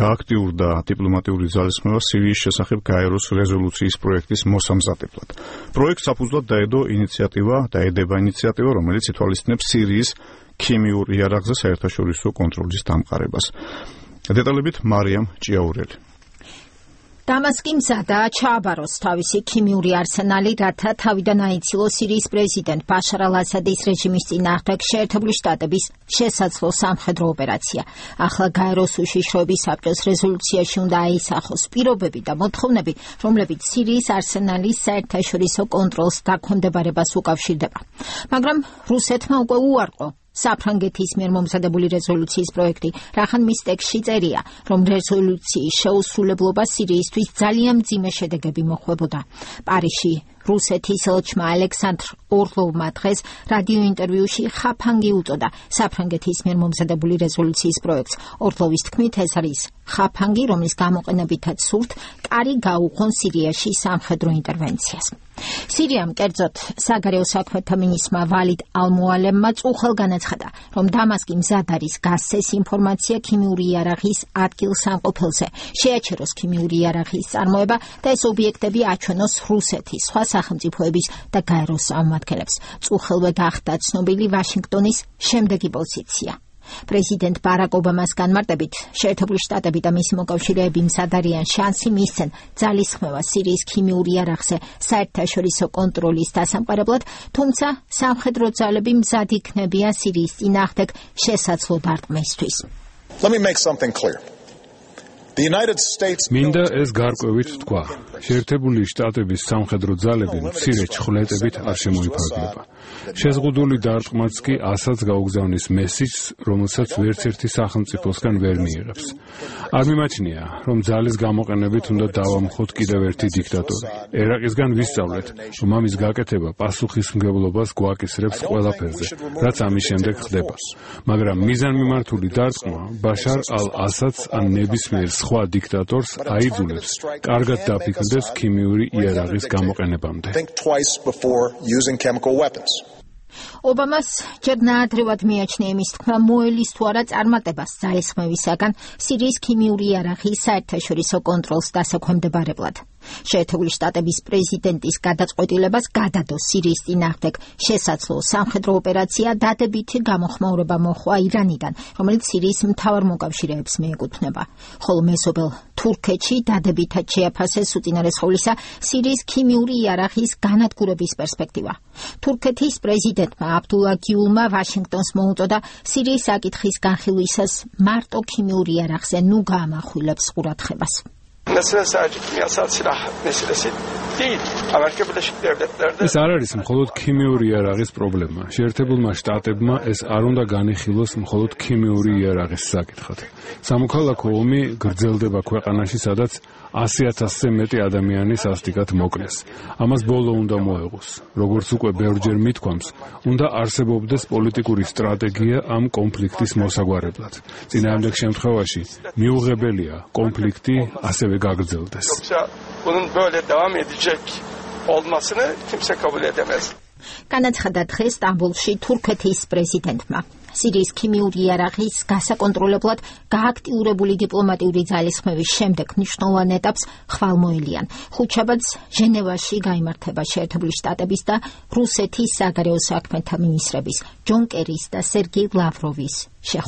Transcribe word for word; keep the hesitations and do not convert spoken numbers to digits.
გააქტიურდა დიპლომატიური ძალისხმევა სირიის შესახებ გაეროს რეზოლუციის პროექტის მოსამზადებლად. პროექტს საფუძვლად დაედო ინიციატივა, დაედება ინიციატივა, რომელიც ითვალისწინებს სირიის ქიმიურ იარაღზე საერთაშორისო კონტროლის დამყარებას. დეტალებით მარიამ ჭიაურელი. დამასკი მზადაა ჩააბაროს თავისი ქიმიური არსენალი, რათა თავიდან აიცილოს სირიის პრეზიდენტ ბაშარ ალ-ასადის რეჟიმის წინააღმდეგ შეერთებული შტატების შესაძლო სამხედრო ოპერაცია. ახლა გაეროს უშიშროების საბჭოს რეზოლუციაში უნდა აისახოს პირობები და მოთხოვნები, რომლებიც სირიის არსენალის საერთაშორისო კონტროლს დაქვემდებარებას უკავშირდება. მაგრამ რუსეთმა უკვე უარყო საფრანგეთის მიერ მომზადებული რეზოლუციის პროექტი, რახან მის ტექსტში წერია, რომ რეზოლუციის შეუსრულებლობა სირიისთვის ძალიან მძიმე შედეგები მოჰყვებოდა. პარიზში რუსეთის ელჩმა ალექსანდრ ორლოვმა დღეს რადიო ინტერვიუში ხაფანგი უწოდა საფრანგეთის მიერ მომზადებული რეზოლუციის პროექტს. ორლოვის თქმით, ეს არის ხაფანგი, რომლის გამოყენებითაც სურთ კარი გაუღონ სირიაში სამხედრო ინტერვენციას. სირიამ კერძოდ საგარეო საქმეთა მინისტრმა ვალიდ ალ-მუალემმა წუხელ განაცხადა, რომ დამასკი მზად არის გასცეს ინფორმაცია ქიმიური იარაღის ადგილსამყოფელზე, შეაჩეროს ქიმიური იარაღის წარმოება და ეს ობიექტები აჩვენოს რუსეთის, სხვა სახელმწიფოების და გაეროს წარმომადგენლებს. წუხელვე გახდა ცნობილი ვაშინგტონის შემდეგი პოზიცია. პრეზიდენტ ბარაკ ობამას განმარტებით, შეერთებული შტატები და მისი მოკავშირეები მზად არიან შანსი მისცენ ძალისხმევა სირიის ქიმიურ იარაღზე საერთაშორისო კონტროლის დასამყარებლად, თუმცა სამხედრო ძალები მზად იქნებიან სირიის წინააღმდეგ შესაძლო დარტყმისთვის. მინდა ეს გარკვევით ვთქვა. შეერთებული შტატების სამხედრო ძალები მცირე ჩხვლეტებით არ შემოიფარგლება. შეზღუდული დარტყმაც კი ასაც გაუგზავნის მესიჯს, რომელსაც ვერც ერთი სახელმწიფოსგან ვერ მიიღებს. არ მიმაჩნია, რომ ძალის გამოყენებით უნდა დავამხოთ კიდევ ერთი დიქტატორი. ერაყისგან ვისწავლეთ, რომ ამის გაკეთება პასუხისმგებლობას გვაკისრებს ყველაფერზე, რაც ამის შემდეგ ხდება. მაგრამ მიზანმიმართული დარტყმა ბაშარ ალ-ასადს ან ნებისმიერ სხვა დიქტატორს აიძულებს კარგად დაფიქრდეს ქიმიური იარაღის გამოყენებამდე. ობამას ჯერ ნაადრევად მიაჩნია იმის თქმა, მოელის თუ არა წარმატებას ძალისხმევისაგან სირიის ქიმიური იარაღის საერთაშორისო კონტროლს დასაქვემდებარებლად. შეერთებული შტატების პრეზიდენტის გადაწყვეტილებას გადადო სირიის წინააღმდეგ შესაძლო სამხედრო ოპერაცია დადებითი გამოხმაურება მოჰყვა ირანიდან, რომელიც სირიის მთავარ მოკავშირეებს მიეკუთვნება. ხოლო მეზობელ თურქეთში დადებითად შეაფასეს უწინარესხოვლისა სირიის ქიმიური იარაღის განადგურების პერსპექტივა. თურქეთის პრეზიდენტმა აბდულა გიულმა ვაშინგტონს მოუწოდა სირიის საკითხის განხილვისას მარტო ქიმიურ იარაღზე ნუ გაამახვილებს ყურადღებას. ეს არ არის მხოლოდ ქიმიური იარაღის პრობლემა. შეერთებულმა შტატებმა ეს არ უნდა განიხილოს მხოლოდ ქიმიური იარაღის საკითხად. სამოქალაქო ომი გრძელდება ქვეყანაში, სადაც ასი ათასზე მეტი ადამიანი სასტიკად მოკლეს. ამას ბოლო უნდა მოეღოს. როგორც უკვე ბევრჯერ მithქვამს, უნდა არსებობდეს პოლიტიკური სტრატეგია ამ კონფლიქტის მოსაგვარებლად. წინააღმდეგ შემთხვევაში მიუღებელია კონფლიქტი ასევე გაგრძელდეს. განაცხადა დღეს სტამბოლში თურქეთის პრეზიდენტმა. სირიის ქიმიური იარაღის გასაკონტროლებლად გააქტიურებული დიპლომატიური ძალისხმევის შემდეგ მნიშვნელოვან ეტაპს ხვალმოილიან. ხუთშაბათს ჟენევაში გაიმართება შეერთებული შტატების და რუსეთის საგარეო საქმეთა მინისტრების ჯონ კერის და სერგეი ლავროვის შეხვედრა.